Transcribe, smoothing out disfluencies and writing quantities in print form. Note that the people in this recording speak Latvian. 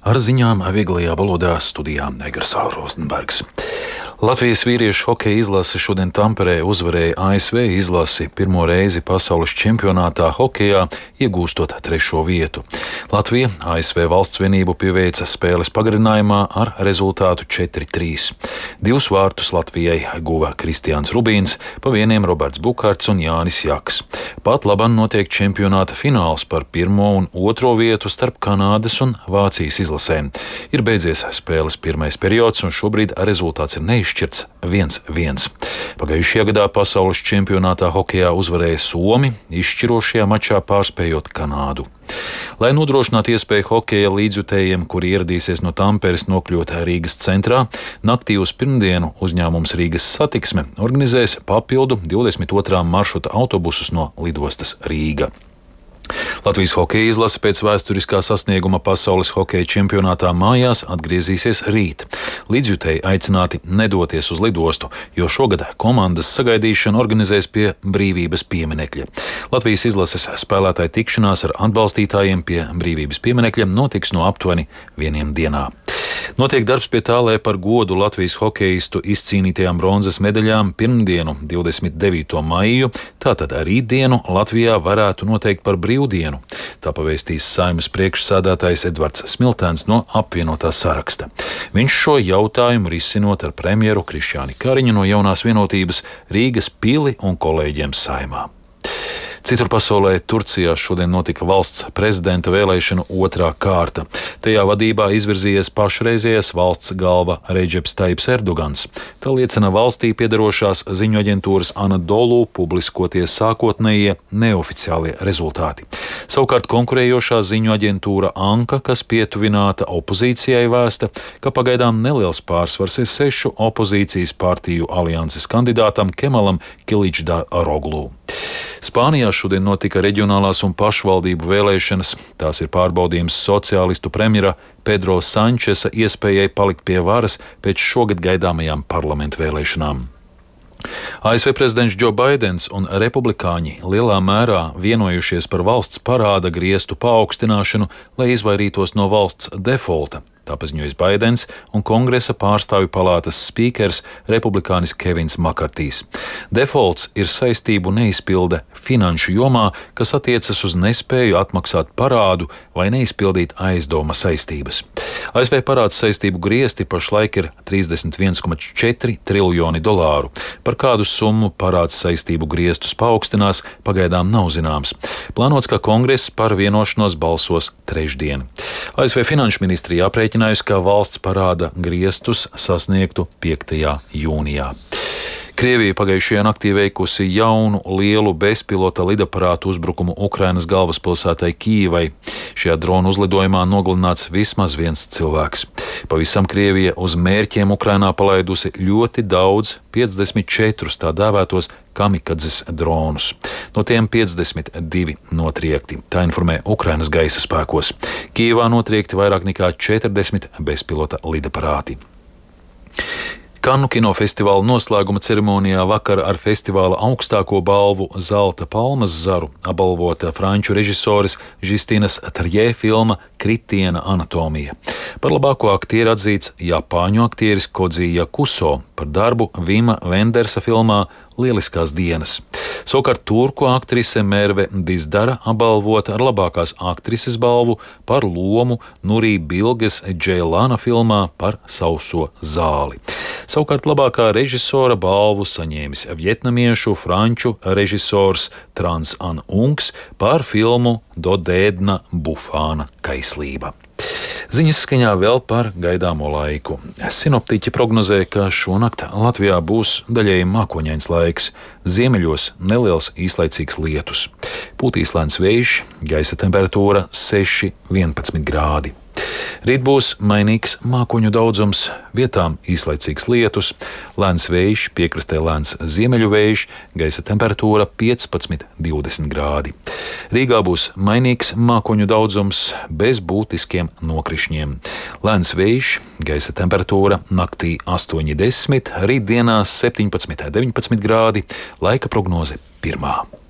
Ar ziņām vieglajā valodā studijā Egars Rozenbergs. Latvijas vīriešu hokeja izlase šodien Tamperē uzvarēja ASV izlasi pirmo reizi pasaules čempionātā hokejā, iegūstot 3. vietu. Latvija ASV valsts vienību pieveica spēles pagarinājumā ar rezultātu 4-3. 2 vārtus Latvijai guva Kristiāns Rubīns, pa vieniem Roberts Bukārts un Jānis Jaks. Pat labam notiek čempionāta fināls par 1. un 2. vietu starp Kanādas un Vācijas izlasēm. Ir beidzies spēles pirmais periods un šobrīd rezultāts ir neizšķirts 1-1. Pagājušajā gadā pasaules čempionātā hokejā uzvarēja Somi, izšķirošajā mačā pārspējot Kanādu. Lai nodrošinātu iespēju hokeja līdzjutējiem, kuri ieradīsies no Tamperes, nokļūt Rīgas centrā, naktī uz pirmdienu uzņēmums Rīgas Satiksme organizēs papildu 22. maršruta autobusus no lidostas Rīga. Latvijas hokeja izlase pēc vēsturiskā sasnieguma pasaules hokeja čempionātā mājās atgriezīsies rīt. Līdzjutēji aicināti nedoties uz lidostu, jo šogad komandas sagaidīšanu organizēs pie Brīvības pieminekļa. Latvijas izlases spēlētāju tikšanās ar atbalstītājiem pie Brīvības pieminekļa notiks no aptuveni 1 dienā. Notiek darbs pie tā, lai par godu Latvijas hokeistu izcīnītajām bronzas medaļām pirmdienu, 29. maiju, tātad rītdienu Latvijā varētu noteikt par brīvdienu. Tā pavēstīs Saeimas priekšsēdētājs Edvards Smiltēns no apvienotā saraksta. Viņš šo jautājumu risinot ar premjeru Krišjāni Kariņu no Jaunās vienotības, Rīgas pili un kolēģiem Saeimā. Citur pasaulē Turcijā šodien notika valsts prezidenta vēlēšanu 2. kārta. Tajā vadībā izvirzījies pašreizējais valsts galva Redžeps Taips Erdogans. Tā liecina valstī piedarošās ziņu aģentūras Anadolu publiskotie sākotnējie neoficiālie rezultāti. Savukārt konkurējošā ziņu aģentūra Anka, kas pietuvināta opozīcijai, vēsta, ka pagaidām neliels pārsvars ir 6 opozīcijas partiju alianses kandidātam Kemalam Kiličdaroglu. Spānijā šodien notika reģionālās un pašvaldību vēlēšanas. Tās ir pārbaudījums sociālistu premjera Pedro Sančesa iespējai palikt pie varas pēc šogad gaidāmajām parlamentu vēlēšanām. ASV prezidents Džo Baidens un republikāņi lielā mērā vienojušies par valsts parāda griestu paaugstināšanu, lai izvairītos no valsts defolta. Tā paziņoja Baidens un Kongresa pārstāvju palātas spīkers republikānis Kevins Makartijs. Defolts ir saistību neizpilde finanšu jomā, kas attiecas uz nespēju atmaksāt parādu vai neizpildīt aizdoma saistības. ASV parāds saistību griesti pašlaik ir $31,4 triljoni. Par kādu summu parāds saistību griestus paaugstinās, pagaidām nav zināms. Plānots, ka Kongress par vienošanos balsos trešdien. ASV finanšu ministrija aprēķinājusi, ka valsts parāda griestus sasniegtu 5. jūnijā. Krievija pagājušajā naktī veikusi jaunu lielu bezpilota lidaparātu uzbrukumu Ukrainas galvaspilsētai Kijivai. Šajā drona uzlidojumā nogalināts vismaz 1 cilvēks. Pavisam Krievija uz mērķiem Ukrainā palaidusi ļoti daudz 54 tā dēvētos kamikadzes dronus. No tiem 52 notriekti. Tā informē Ukrainas gaisa spēkos. Kijivā notriekti vairāk nekā 40 bezpilota lidaparāti. Kannu kinofestivāla noslēguma ceremonijā vakar ar festivāla augstāko balvu Zelta palmas zaru apbalvota franču režisoras Žistinas Trjē filma Kritiena anatomija. Par labāko aktieru atzīts japāņu aktieris Kodzi Jakuso, par darbu Vima Vendersa filmā Lieliskās dienas. Savukārt turku aktrise Merve Dizdara apbalvota ar labākās aktrises balvu par lomu Nurī Bilges Džeilāna filmā par Sauso zāli. Savukārt labākā režisora balvu saņēmis vietnamiešu franču režisors Trans An Ungs par filmu Dodēdna Bufāna kaislība. Ziņas skaņā vēl par gaidāmo laiku. Sinoptiķi prognozē, ka šonakt Latvijā būs daļēji mākoņains laiks, ziemeļos neliels īslaicīgs lietus. Pūtīs lēns vējš, gaisa temperatūra 6–11 grādi. Rīt būs mainīgs mākoņu daudzums, vietām īslaicīgs lietus, lēns vējš, piekrastē lēns ziemeļu vējš, gaisa temperatūra 15–20 grādi. Rīgā būs mainīgs mākoņu daudzums bez būtiskiem nokrišņiem. Lēns vējš, gaisa temperatūra naktī 8–10, rītdienās 17–19 grādi, laika prognoze 1.